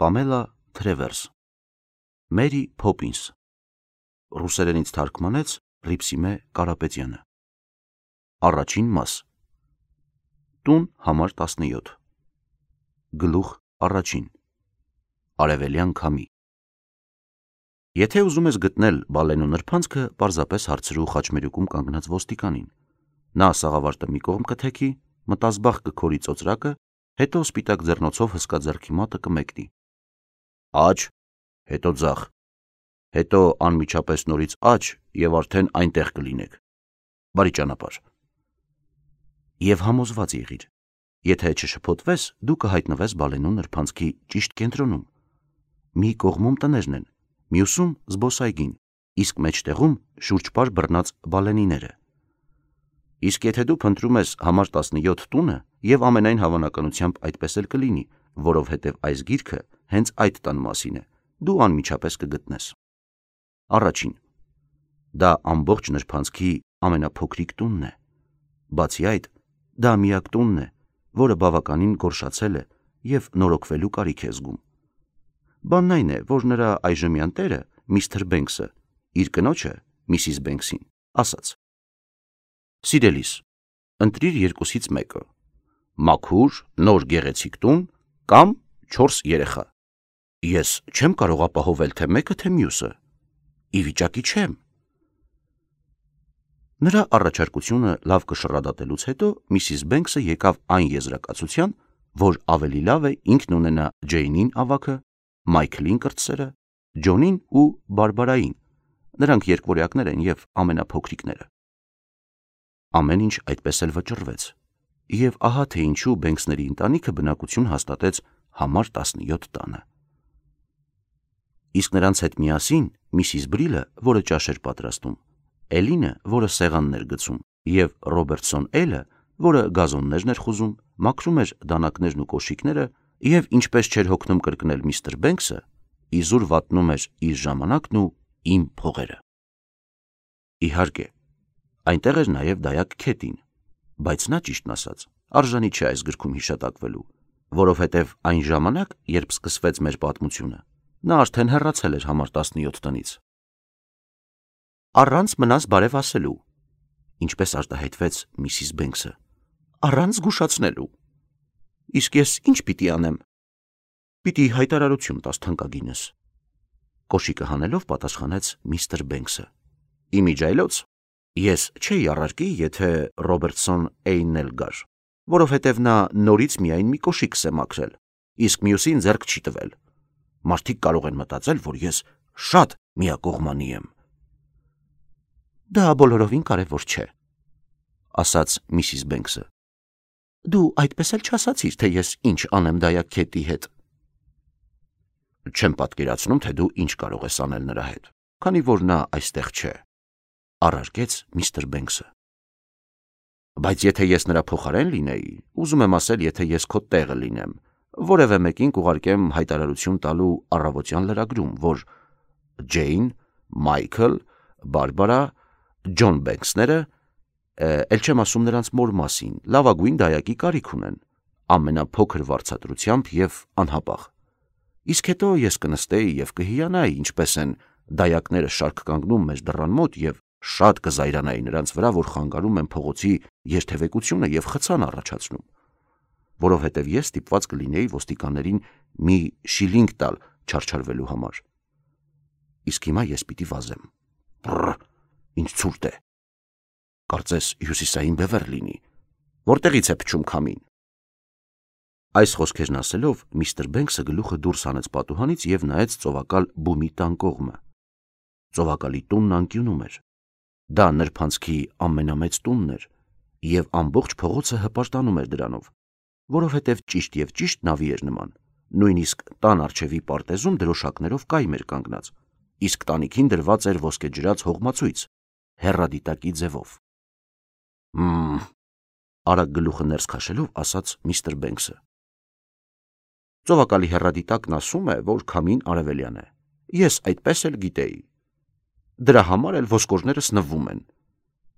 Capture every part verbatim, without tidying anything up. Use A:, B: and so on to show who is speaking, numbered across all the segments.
A: Պամելա Թրևերս, Մերի Փոփինս, ռուսերենից թարգմանեց Ռիփսիմե Կարապետյանը։ Առաջին մաս։ Տուն համար տասնյոթ։ Գլուխ առաջին։ Արևելյան քամի։ Եթե ուզում ես գտնել Բալենու նրբանցքը, պարզապես հարցրու խաչմերուկում կանգնած ոստիկանին։ Նա սաղավարտը մի կողմ կթեքի, մտազբաղ կքորի ծոծրակը, հետո սպիտակ ձեռնոցով հսկա ձեռքի մատը կմեկնի։ Աջ, հետո ձախ, հետո անմիջապես նորից աջ և արդեն այնտեղ կլինեք։ Բարի ճանապարհ։ Եվ համոզված եղիր, եթե չշփոթվես, դու կհայտնվես Բալենու նրբանցքի ճիշտ կենտրոնում։ Մի կողմում տներն են, մյուսում զբոսայգին, իսկ մեջտեղում շուրջպար բռնած բալենիները։ Իսկ եթե դու փնտրում ես համար տասնյոթ տունը, և ամենայն հավանականությամբ այդպես էլ կլինի, որովհետև այս գիրքը հենց այդ տան մասին է, դու անմիջապես կգտնես։ Առաջին. դա ամբողջ նրբանցքի ամենափոքրիկ տունն է։ Բացի այդ, դա միակ տունն է, որը բավականին գորշացել է և նորոգվելու կարիք է զգում։ Բանն այն է, որ նրա այժմյան տերը, միստր Բենքսը, իր կնոջը, միսիս Բենքսին, ասաց. Սիրելիս, ընտրիր երկուսից մեկը՝ մաքուր, նոր գեղեցիկ տուն կամ չորս երեխա։ Ես չեմ կարող ապահովել թե մեկը, թե մյուսը։ Ի վիճակի չեմ։ Նրա առաջարկությունը լավ կշռադատելուց հետո միսիս Բենքսը եկավ այն եզրակացության, որ ավելի լավ է ինքն ունենա Ջեյնին ավագը, Մայքլին կրտսերը, Ջոնին ու Բարբարային, նրանք երկվորյակներ են և ամենափոքրիկները։ Ամեն ինչ այդպես էլ վճռվեց, և ահա թե ինչու Բենքսների ընտանիքը բնակություն հաստատեց համար տասնյոթ տանը։ Իսկ նրանց հետ միասին միսիս Բրիլը, որը ճաշ էր պատրաստում, Էլինը, որը սեղանն էր գցում, և Ռոբերտսոն Էլը, որը գազոններն էր խուզում, մաքրում էր դանակներն ու կոշիկները և, ինչպես չէր հոգնում կրկնել միստր Բենքսը, իզուր վատնում էր իր ժամանակն ու իմ փողերը։ Իհարկե, այնտեղ էր նաև դայակ Քեթին, բայց նա, ճիշտն ասած, արժանի չէ այս գրքում հիշատակվելու, որովհետև այն ժամանակ, երբ սկսվեց մեր պատմությունը, նա արդեն հեռացել էր համար տասնյոթ տնից։ Առանց մնաս բարև ասելու, ինչպես արտահայտվեց միսիս Բենքսը, առանց զգուշացնելու։ Իսկ ես ինչ պիտի անեմ։ Պիտի հայտարարություն տաս թանկագինս, կոշիկը հանելով պատասխանեց միստր Բենքսը։ Իմիջայլոց, ես չէի առարկի, եթե Ռոբերտսոն Էյնն էլ գար, որովհետև նա նորից միայն մի կոշիկ է մաքրել, իսկ մյուսին ձեռք չի տվել։ Մարդիկ կարող են մտածել, որ ես շատ միակողմանի եմ։ Դա բոլորովին կարևոր չէ, ասաց միսիս Բենքսը։ Դու այդպես էլ չասացիր, թե ես ինչ անեմ դայակ Քեթի հետ։ Չեմ պատկերացնում, թե դու ինչ կարող ես անել նրա հետ, քանի որ նա այստեղ չէ, առարկեց միստր Բենքսը։ Բայց եթե ես նրա փոխարեն լինեի, ուզում եմ ասել, եթե ես քո տեղը լինեմ, որևէ մեկին կուղարկեմ հայտարարություն տալու առավոտյան լրագրում, որ Ջեյն, Մայքլ, Բարբարա, Ջոն Բենքսները, էլ չեմ ասում նրանց մոր մասին, լավագույն դայակի կարիք ունեն, ամենափոքր վարձատրությամբ և անհապաղ։ Իսկ հետո ես կնստեի և կհիանայի, ինչպես են դայակները շարք կանգնում մեր դռան մոտ և շատ կզայրանայի նրանց վրա, որ խանգարում են փողոցի երթևեկությունը և խցան առաջացնում, որովհետև ես ստիպված կլինեի ոստիկաններին մի շիլինգ տալ չարչարվելու համար։ Իսկ հիմա ես պիտի վազեմ։ Բռ, ինչ ցուրտ է։ Կարծես հյուսիսային բևեռ լինի, որտեղից է փչում քամին։ Այս խոսքերն ասելով միստր Բենքսը գլուխը դուրս հանեց պատուհանից և նայեց ծովակալ բումի տան կողմը։ Ծովակալի տունն անկյունում էր։ Դա նրբանցքի ամենամեծ տունն էր, և ամբողջ փողոցը հպարտանում էր դրանով, որովհետև ճիշտ և ճիշտ նավի էր նման, նույնիսկ տան առջևի պարտեզում դրոշակներով կայմ էր կանգնած, իսկ տանիքին դրված էր ոսկեջրած հողմացույց, հեռադիտակի ձևով։ Մմ, արագ գլուխը ներս քաշելով ասաց միստր Բենքսը։ Ծովակալի հեռադիտակն ասում է, որ քամին արևելյան է։ Ես այդպես էլ գիտեի։ Դրա համար էլ ոսկորներս նվում են։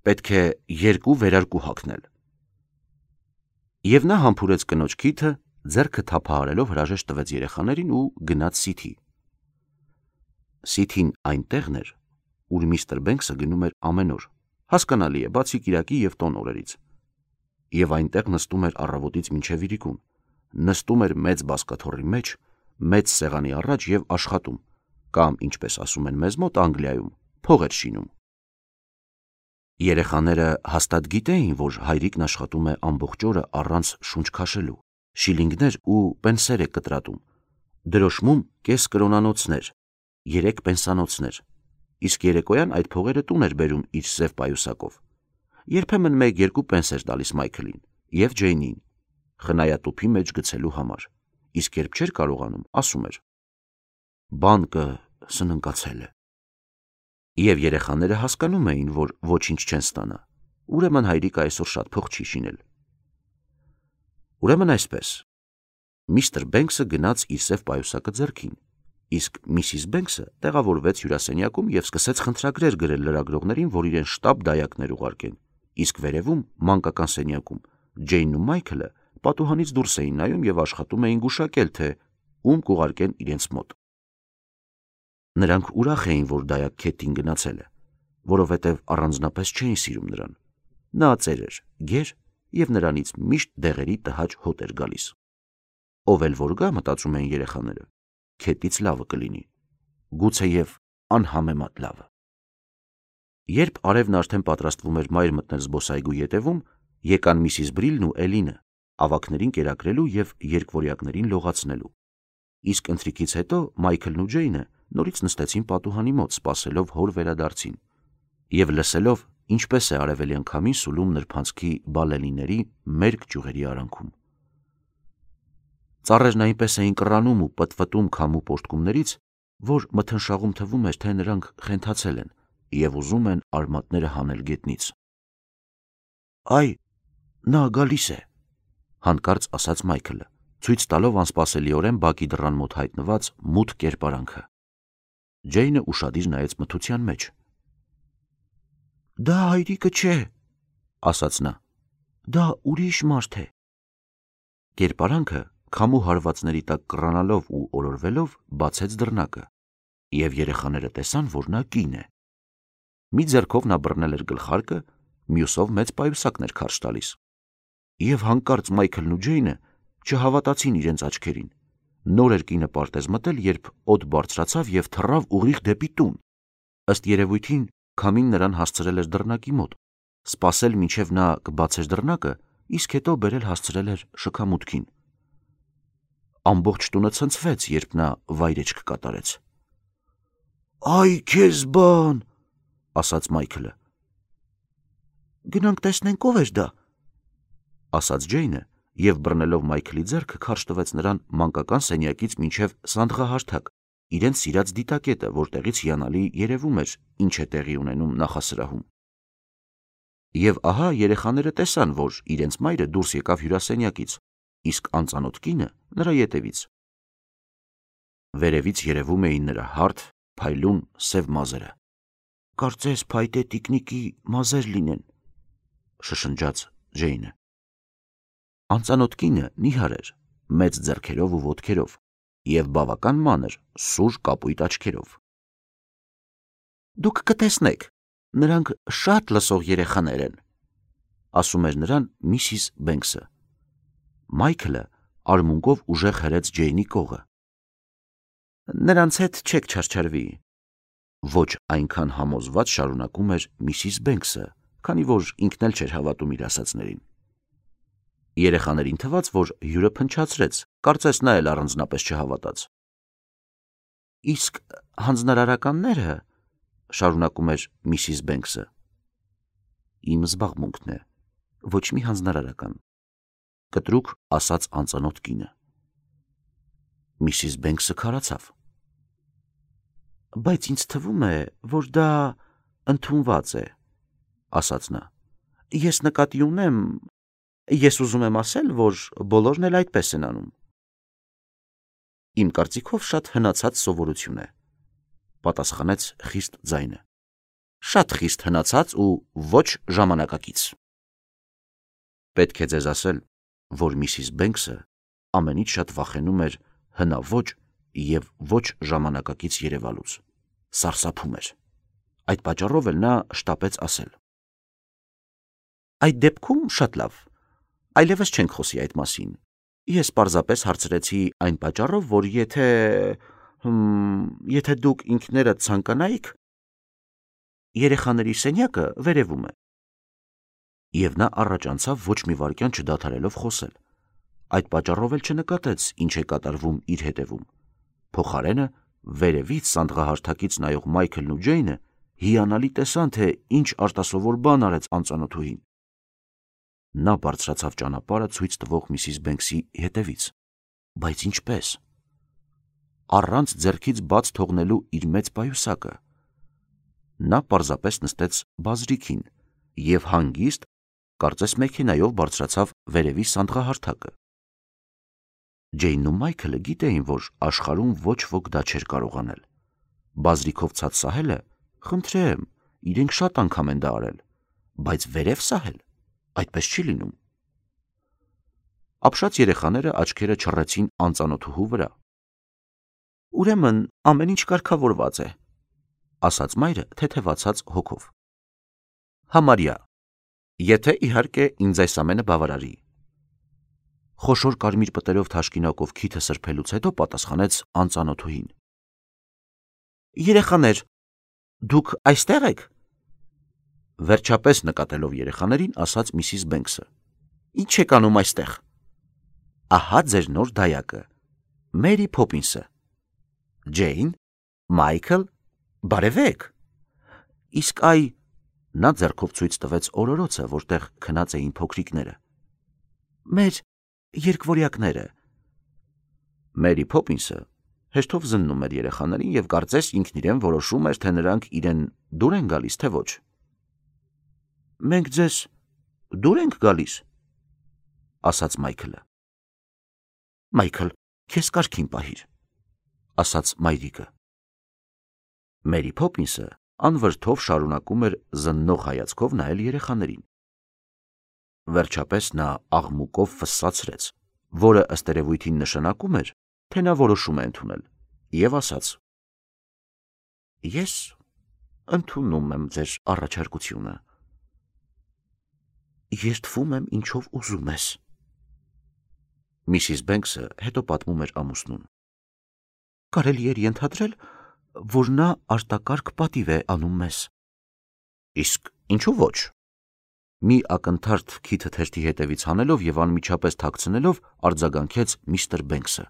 A: Պետք է երկու վերարկու հագնել։ Եվ նա համբուրեց կնոջ քիթը, ձեռքը թափահարելով հրաժեշտ տվեց երեխաներին ու գնաց Սիթի։ Սիթին այն տեղն էր, ուր միստր Բենքսը գնում էր ամեն օր, հասկանալի է, բացի կիրակի և տոն օրերից։ Եվ այնտեղ նստում էր առավոտից մինչև իրիկուն, նստում էր մեծ բազկաթոռի մեջ, մեծ սեղանի առաջ և աշխատում, կամ, ինչպես ասում են մեզ մոտ Անգլիայում, փող էր շինում։ Երեխաները հաստատ գիտեին, որ հայրիկն աշխատում է ամբողջ օրը առանց շունչ քաշելու, շիլինգներ ու պենսեր է կտրատում, դրոշմում կես կրոնանոցներ, երեք պենսանոցներ, իսկ երեկոյան այդ փողերը տուն էր բերում իր սև պայուսակով։ Երբեմն մեկ-երկու պենս էր տալիս Մայքլին և Ջեյնին, խնայատուփի մեջ գցելու համար, իսկ երբ չէր կարողանում, ասում էր. «Բանկը սննկացել է»։ Եվ երեխաները հասկանում էին, որ ոչինչ չեն ստանա, ուրեմն հայրիկը այսօր շատ փող չի շինել։ Ուրեմն այսպես, միստր Բենքսը գնաց իր սև պայուսակը ձեռքին, իսկ միսիս Բենքսը տեղավորվեց հյուրասենյակում և սկսեց խնդրագրեր գրել լրագրողներին, որ իրեն շտապ դայակներ ուղարկեն, իսկ վերևում, մանկական սենյակում, Ջեյնն ու Մայքլը պատուհանից դուրս էին նայում և աշխատում էին գուշակել, թե ում կուղարկեն իրենց մոտ։ Նրանք ուրախ էին, որ դայակ Քեթին գնացել է, որովհետև առանձնապես չէին սիրում նրան։ Նա ծեր էր, գեր և նրանից միշտ դեղերի տհաճ հոտ էր գալիս։ Ով էլ որ գա, մտածում էին երեխաները, Քեթից լավը կլինի, գուցեև անհամեմատ լավը։ Երբ արևն արդեն պատրաստվում էր մայր մտնել զբոսայգու ետևում, եկան միսիս Բրիլն ու Էլինը, ավագներին կերակրելու և երկվորյակներին լողացնելու։ Իսկ ընթրիքից հետո Մայքլն ու Ջեյնը նորից նստեցին պատուհանի մոտ, սպասելով հոր վերադարձին և լսելով, ինչպես է արևելյան քամին սուլում նրբանցքի բալենիների մերկ ճյուղերի արանքում։ Ծառերն այնպես էին կռանում ու պտպտում քամու պոռթկումներից, որ մթնշաղում թվում էր, թե նրանք խենթացել են և ուզում են արմատները հանել գետնից։ «Այ, նա գալիս է», հանկարծ ասաց Մայքլը, ցույց տալով անսպասելիորեն բակի դռան մոտ հայտնված մութ կերպարանքը։ Ջեյնը ուշադիր նայեց մթության մեջ։ «Դա հայրիկը չէ», ասաց նա, «դա ուրիշ մարդ է»։ Կերպարանքը, քամու հարվածների տակ կռանալով ու օրորվելով, բացեց դռնակը, և երեխաները տեսան, որ նա կին է։ Մի ձեռքով նա բռնել էր գլխարկը, մյուսով մեծ պայուսակն էր քարշ տալիս։ Եվ հանկարծ Մայքլն ու Ջեյնը չհավատացին իրենց աչքերին։ Նոր էր կինը պարտեզ մտել, երբ օդ բարձրացավ և թռավ ուղիղ դեպի տուն։ Ըստ երևույթին, քամին նրան հասցրել էր դռնակի մոտ, սպասել մինչև նա կբացեր դռնակը, իսկ հետո բերել հասցրել էր շքամուտքին։ Ամբողջ տունը ցնցվեց, երբ նա վայրեջք կատարեց։ «Այ քեզ բան», ասաց Մայքլը։ «Գնանք տեսնենք ով էր դա», ասաց Ջեյնը և բռնելով Մայքլի ձեռքը քարշ տվեց նրան մանկական սենյակից մինչև սանդղահարթակ, իրենց սիրած դիտակետը, որտեղից հիանալի երևում էր, ինչ է տեղի ունենում նախասրահում։ Եվ ահա երեխաները տեսան, որ իրենց մայրը դուրս եկավ հյուրասենյակից, իսկ անծանոթ կինը նրա ետևից։ Վերևից երևում էին նրա հարթ, փայլուն սև մազերը։ «Կարծես փայտե տիկնիկի մազեր լինեն», շշնջաց Ջեյնը։ Անծանոթ կինը նիհար էր, մեծ ձեռքերով ու ոտքերով և բավական մանր, սուր կապույտ աչքերով։ «Դուք կտեսնեք, նրանք շատ լսող երեխաներ են», ասում էր նրան միսիս Բենքսը։ Մայքլը արմունկով ուժեղ հրեց Ջեյնի կողը։ «Նրանց հետ չեք չարչարվի», ոչ այնքան համոզված շարունակում էր միսիս Բենքսը, քանի որ ինքն էլ չէր հավատում իր ասածներին։ Երեխաներին թվաց, որ հյուրը փնչացրեց, կարծես նա էլ առանձնապես չհավատաց։ «Իսկ հանձնարարականները», շարունակում էր միսիս Բենքսը, «իմ զբաղմունքն է, ոչ մի հանձնարարական», կտրուկ ասաց անծանոթ կինը։ Միսիս Բենքսը քարացավ։ «Բայց ինձ թվում է, որ դա ընդունված է», ասաց նա։ «Ես նկատի ունեմ, ես ուզում եմ ասել, որ բոլորն էլ այդպես են անում»։ «Իմ կարծիքով շատ հնացած սովորություն է», պատասխանեց խիստ ձայնը։ «Շատ խիստ հնացած ու ոչ ժամանակակից»։ Պետք է ձեզ ասել, որ միսիս Բենքսը ամենից շատ վախենում էր հնաոճ և ոչ ժամանակակից երևալուց, սարսափում էր։ Այդ պատճառով էլ նա շտապեց ասել. Այդ դեպքում շատ լավ, այլևս չենք խոսի այդ մասին։ Ես պարզապես հարցրեցի այն պատճառով, որ եթե, եթե դուք ինքներդ ցանկանայիք, երեխաների սենյակը վերևում է։ Եվ նա առաջ անցավ ոչ մի վայրկյան չդադարելով խոսել։ Այդ պատճառով էլ չնկատեց, ինչ է կատարվում իր հետևում։ Փոխարենը վերևից սանդղահարթակից նայող Մայքլն ու Ջեյնը հիանալի տեսան, թե ինչ արտասովոր բան արեց անծանոթուհին։ Նա բարձրացավ ճանապարհը ցույց տվող Միսիս Բենքսի հետևից, բայց ինչպես։ Առանց ձեռքից բաց թողնելու իր մեծ պայուսակը։ Նա պարզապես նստեց բազրիքին և հանգիստ, կարծես մեքենայով բարձրացավ վերևի սանդղահարթակը։ Ջեյնն ու Մայքլը գիտեին, որ աշխարհում ոչ ոք դա չէր կարող անել։ Բազրիքով ցած սահելը, խնդրեմ, իրենք շատ անգամ են դա արել, բայց վերև սահել, այդպես չի լինում։ Ապշած երեխաները աչքերը չռեցին անծանոթուհու վրա։ Ուրեմն ամեն ինչ կարգավորված է, ասաց մայրը թեթևացած հոգով։ Համարյա, եթե իհարկե ինձ այս ամենը բավարարի։ Խոշոր կարմիր պտերով թաշկինակով քիթը սրբելուց հետո պատասխանեց անծանոթուհին։ Երեխաներ, դուք այստեղ եք։ Վերջապես նկատելով երեխաներին, ասաց Միսիս Բենքսը. Ինչ եք անում այստեղ։ Ահա ձեր նոր դայակը, Մերի Փոփինսը։ Ջեյն, Մայքլ, բարևեք։ Իսկ այ, նա ձեռքով ցույց տվեց օրորոցը, որտեղ քնած էին փոքրիկները։ Մեր երկվորյակները։ Մերի Փոփինսը հեշտով զննում էր երեխաներին և կարծես ինքն իրեն որոշում էր, թե նրանք իրեն դուր են գալիս, թե ոչ։ Մենք ձեզ դուր ենք գալիս, ասաց Մայքլը։ Մայքլ, քեզ կարգին պահիր, ասաց մայրիկը։ Մերի Փոփինսը անվրդով շարունակում էր զննող հայացքով նայել երեխաներին։ Վերջապես նա աղմուկով ֆսսացրեց, որը ըստ երևույթին նշանակում էր, թե նա որոշում է ընդունել, և ասաց. Ես ընդունում եմ ձեր առաջարկությունը։ Երդվում եմ ինչով ուզում ես։ Միսիս Բենքսը հետո պատմում էր ամուսնուն։ Կարելի էր ենթադրել, որ նա արտակարգ պատիվ է անում մեզ։ Իսկ ինչու ոչ։ Մի ակնթարթ քիթը թերթի հետևից հանելով և անմիջապես թաքցնելով արձագանքեց միստր Բենքսը։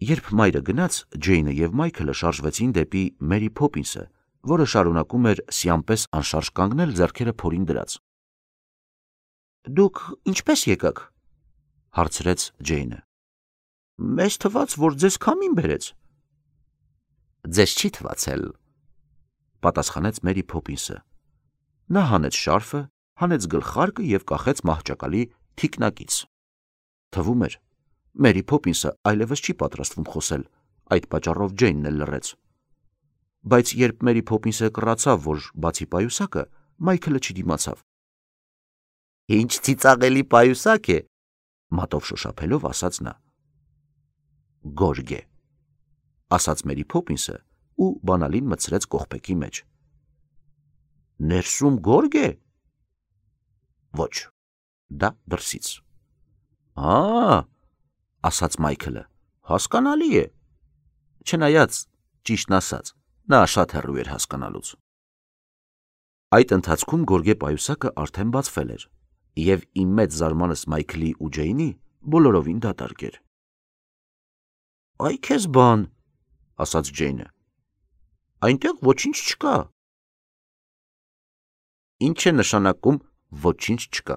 A: Երբ մայրը գնաց, Ջեյնը և Մայքլը շարժվեցին դեպի Մերի Փոփինսը, որը շարունակում էր սիամպես անշարժ կանգնել ձեռքերը փորին դրած։ Դուք ինչպես եկաք, հարցրեց Ջեյնը։ Մեզ թվաց, որ ձեզ քամին բերեց։ Ձեզ չի թվացել, պատասխանեց Մերի Փոփինսը։ Նա հանեց շարֆը, հանեց գլխարկը և կախեց մահճակալի թիկնակից։ Թվում էր, Մերի Փոփինսը այլևս չի պատրաստվում խոսել, այդ պատճառով Ջեյնն էլ լռեց։ Բայց երբ Մերի Փոփինսը կռացավ, որ բացի պայուսակը, Մայքլը չդիմացավ։ Ինչ ծիծաղելի պայուսակ է, մատով շոշափելով ասաց նա։ Գորգ է, ասաց Մերի Փոփինսը ու բանալին մտցրեց կողպեքի մեջ։ Ներսում գորգ է։ Ոչ, դա դրսից։ Ա, ասաց Մայքլը, հասկանալի է։ Չնայած, ճիշտն ասած, նա շատ հեռու էր հասկանալուց։ Այդ ընթացքում գորգե պայուսակը արդեն բացվել էր, և իմ մեծ զարմանս Մայքլի ու Ջեյնի բոլորովին դատարկ էր։ Այ քեզ բան, ասաց Ջեյնը, այնտեղ ոչինչ չկա։ Ինչ է նշանակում ոչինչ չկա,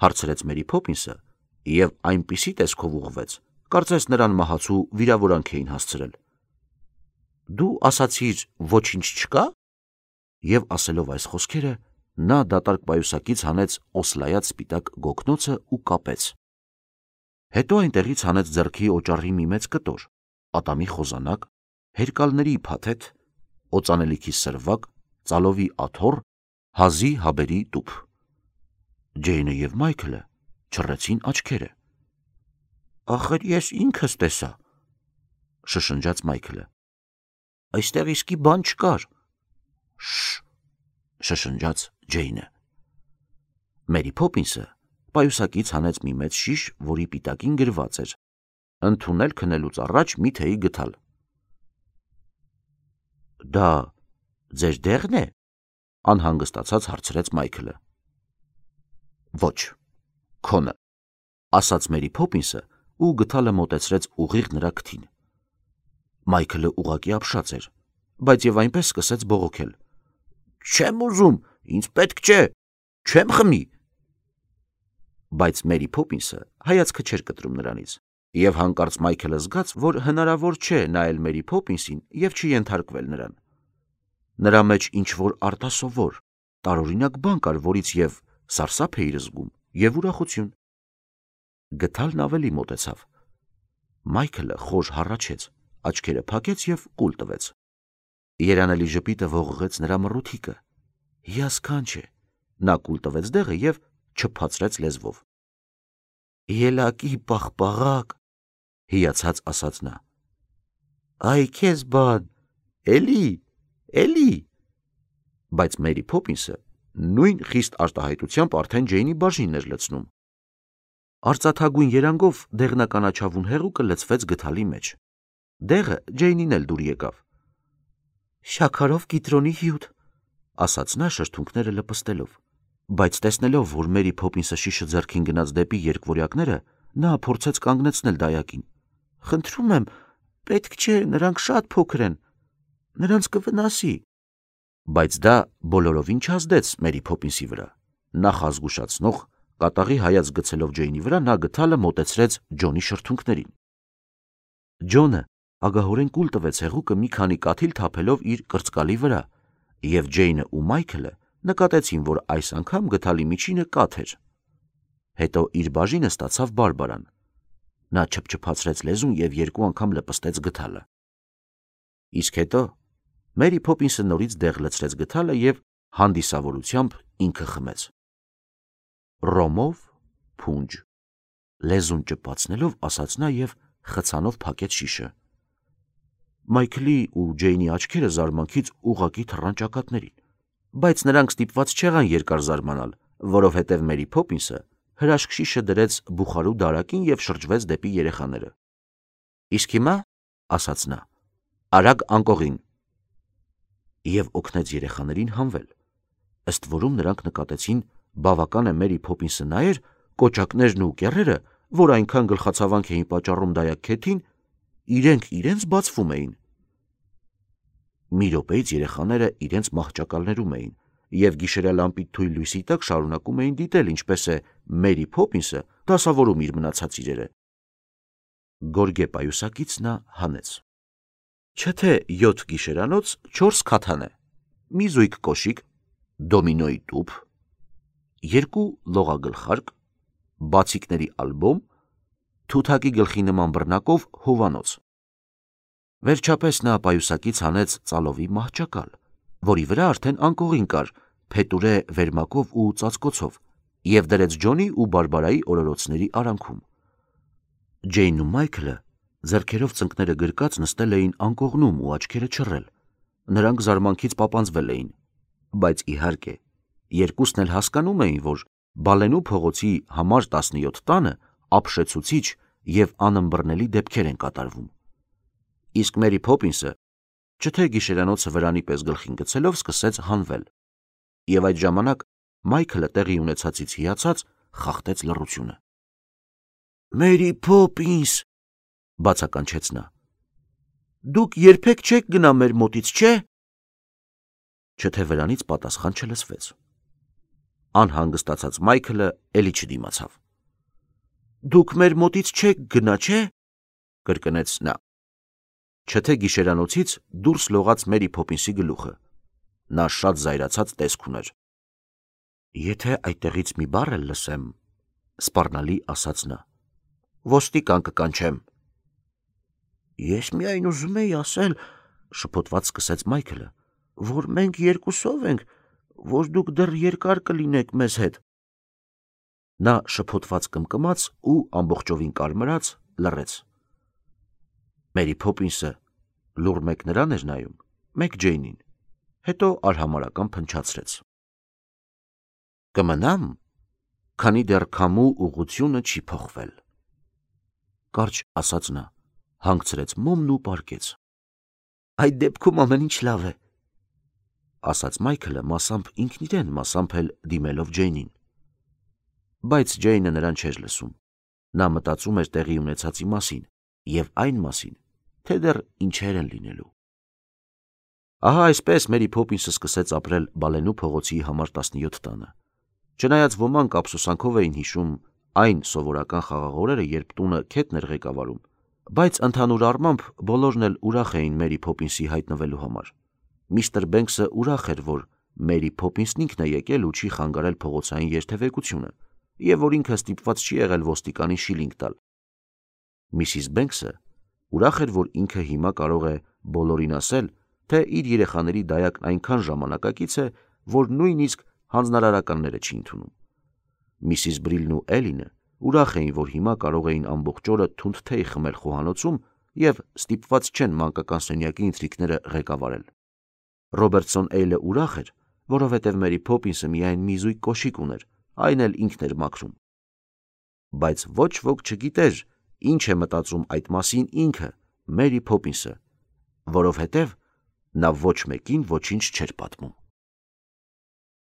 A: հարցրեց Մերի Փոփինսը և այնպիսի տեսքով ուղղվեց, կարծես նրան մահացու վիրավորանք էին հասցրել։ Դու ասացիր ոչինչ չկա։ Եվ ասելով այս խոսքերը, նա դատարկ պայուսակից հանեց օսլայած սպիտակ գոգնոցը ու կապեց։ Հետո այնտեղից հանեց ձեռքի օճառի մի մեծ կտոր, ատամի խոզանակ, հերկալների փաթեթ, օծանելիքի սրվակ, ծալովի աթոռ, հազի հաբերի տուփ։ Ջեյնը և Մայքլը չռեցին աչքերը։ Ախր ես ինքս տեսա, շշնջաց Մայքլը։ Այստեղ իսկի բան չկար։ Շշ, շշնջաց Ջեյնը։ Մերի Փոփինսը պայուսակից հանեց մի մեծ շիշ, որի պիտակին գրված էր. ընդունել քնելուց առաջ մի թեյի գթալ։ Դա ձեր դեղն է, անհանգստացած հարցրեց Մայքլը։ Ոչ, քոնը, ասաց Մերի Փոփինսը ու գթալը մոտեցրեց ուղիղ նրա քթին։ Մայքլը ուղղակի ապշած էր, բայց եւ այնպես սկսեց բողոքել. Չեմ ուզում, ինձ պետք չէ, չեմ խմի։ Բայց Մերի Փոփինսը հայացքը չէր կտրում նրանից, եւ հանկարծ Մայքլը զգաց, որ հնարավոր չէ նայել Մերի Փոփինսին եւ չենթարկվել նրան։ Նրա մեջ ինչ-որ արտասովոր, տարօրինակ բան կար, որից եւ սարսափ էր զգում, եւ ուրախություն։ Գթալն ավելի մոտեցավ։ Մայքլը խոր հառաչեց, աչքերը փակեց եւ կուլ տվեց։ Երանելի ժպիտը ողողեց նրա մռութիկը։ Հիասքանչ է։ Նա կուլ տվեց դեղը եւ չփացրեց լեզվով։ Ելակի պաղպաղակ, հիացած ասաց նա։ Այ քեզ բան, էլի, էլի։ Բայց Մերի Փոփինսը նույն խիստ արտահայտությամբ արդեն Ջեյնի բաժինն էր լցնում։ Արծաթագույն երանգով դեղնականաչավուն հեղուկը լցվեց գթալի մեջ։ Դեղը Ջեյնին էլ դուր եկավ։ Շաքարով կիտրոնի հյութ, ասաց նա շրթունքները լպստելով, բայց տեսնելով, որ Մերի Փոփինսը շիշը ձեռքին գնաց դեպի երկվորյակները, նա փորձեց կանգնեցնել դայակին։ Խնդրում եմ, պետք չէ, նրանք շատ փոքր են, նրանց կվնասի։ Բայց դա բոլորովին չազդեց Մերի Փոփինսի վրա։ Նախազգուշացնող, կատաղի հայաց գցելով Ջեյնի վրա, նա գթալը մոտեցրեց Ջոնի շրթունքներին։ Ջոնը ագահորեն կուլ տվեց հեղուկը մի քանի կաթիլ թափելով իր կրծկալի վրա, եւ Ջեյնը ու Մայքլը նկատեցին, որ այս անգամ գթալի միջինը կաթ էր։ Հետո իր բաժինը ստացավ Բարբարան։ Նա չփչփացրեց լեզուն եւ երկու անգամ լպստեց գթալը։ Իսկ հետո Մերի Փոփինսը նորից դեղ լցրեց գթալը եւ հանդիսավորությամբ ինքը խմեց։ Ռոմով փունջ, լեզուն ճպացնելով ասաց նա եւ խցանով փակեց շիշը։ Մայքլի ու Ջեյնի աչքերը զարմանքից ուղղակի թռան ճակատներին, բայց նրանք ստիպված չեղան երկար զարմանալ, որովհետև Մերի Փոփինսը հրաշք շիշը դրեց բուխարու դարակին եւ շրջվեց դեպի երեխաները։ Իսկ հիմա, ասաց նա, արագ անկողին, եւ օգնեց երեխաներին հանվել։ Ըստ որում նրանք նկատեցին, բավական է Մերի Փոփինսը նայեր, կոճակներն ու կեռերը, որ այնքան գլխացավանք էին պատճառում դայակքեթին, իրենք իրենց բացվում էին։ Մի րոպեից երեխաները իրենց մահճակալներում էին եւ գիշերյա լամպի թույլ լույսի տակ շարունակում էին դիտել, ինչպես է Մերի Փոփինսը դասավորում իր մնացած իրերը։ Գորգե պայուսակից նա հանեց։ Չէ թե յոթ գիշերանոց չորս քաթան է, մի զույգ կոշիկ, դոմինոյի տուփ, երկու լողագլխարկ, բացիկների ալբոմ, թութակի գլխի նման բռնակով հովանոց։ Վերջապես նա պայուսակից հանեց ծալովի մահճակալ, որի վրա արդեն անկողին կար, փետուրե վերմակով ու ծածկոցով, եւ դրեց Ջոնի ու Բարբարայի օրորոցների արանքում։ Ջեյնն ու Մայքլը ձեռքերով ծնկները գրկած նստել էին անկողնում ու աչքերը չռել։ Նրանք զարմանքից պապանձվել էին, բայց իհարկե երկուսն էլ հասկանում էին, որ Բալենու փողոցի համար տասնյոթ տանը ապշեցուցիչ եւ անըմբռնելի դեպքեր են կատարվում։ Իսկ Մերի Փոփինսը, չթե գիշերանոցը վրանի պես գլխին գցելով, սկսեց հանվել։ Եվ այդ ժամանակ Մայքլը տեղի ունեցածից հիացած խախտեց լռությունը։ Մերի Փոփինս, բացականչեց նա, դուք երբեք չեք գնա մեր մոտից, չէ՞։ Չթե վրանից պատասխան չլսվեց։ Անհանգստացած Մայքլը էլի չդիմացավ։ Դուք մեր մոտից չեք գնա, չէ՞, կրկնեց նա։ Չթե գիշերանոցից դուրս լողաց Մերի Փոփինսի գլուխը։ Նա շատ զայրացած տեսք ուներ։ Եթե այդտեղից մի բառ էլ լսեմ, սպառնալի ասաց նա, ոստիկան կկանչեմ։ Ես միայն ուզում էի ասել, շփոթված սկսեց Մայքլը, որ մենք երկուսով ենք, որ դուք դեռ երկար կլինեք մեզ հետ։ Նա շփոթված կմկմաց ու ամբողջովին կարմրած լռեց։ Մերի Փոփինսը լուռ մեկ նրան էր նայում, մեկ Ջեյնին, հետո արհամարհական փնչացրեց. «Կմնամ, քանի դեռ քամու ուղղությունը չի փոխվել», կարճ ասաց նա, հանգցրեց մոմն ու պառկեց։ «Այդ դեպքում ամեն ինչ լավ է», ասաց Մայքլը, մասամբ ինքն իրեն, մասամբ էլ դիմելով Ջեյնին։ Բայց Ջեյնը նրան չէր լսում։ Նա մտածում էր տեղի ունեցածի մասին և այն մասին, թե դեռ ինչեր են լինելու։ Ահա այսպես Մերի Փոփինսը սկսեց ապրել Բալենու փողոցի համար տասնյոթ տանը։ Չնայած ոմանք ափսոսանքով էին հիշում այն սովորական խաղաղ օրերը, երբ տունը քետն էր ղեկավարում, բայց ընդհանուր առմամբ բոլորն էլ ուրախ էին Մերի Փոփինսի հայտնվելու համար։ Միստր Բենքսը ուրախ էր, որ Մերի Փոփինսն ինքն է եկել ու չի խանգարել փողոցային երթևեկությունը, և որ ինքը ստիպված չի եղել ոստիկանին շիլինգ տալ։ Միսիս Բենքսը ուրախ էր, որ ինքը հիմա կարող է բոլորին ասել, թե իր երեխաների դայակն այնքան ժամանակակից է, որ նույնիսկ հանձնարարականները չի ընդունում։ Միսիս Բրիլն ու Էլինը ուրախ էին, որ հիմա կարող էին ամբողջ օրը թունդ թեյ խմել խոհանոցում և ստիպված չեն մանկական սենյակի ընթրիքները ղեկավարել։ Ռոբերտսոն Էյլը ուրախ էր, որովհետև Մերի Փոփինսը միայն մի զույգ կոշիկ ուներ, այն էլ ինքն էր մաքրում։ Բայց ոչ ոք չգիտեր, ինչ է մտածում այդ մասին ինքը, Մերի Փոփինսը, որովհետև նա ոչ մեկին ոչինչ չէր պատմում։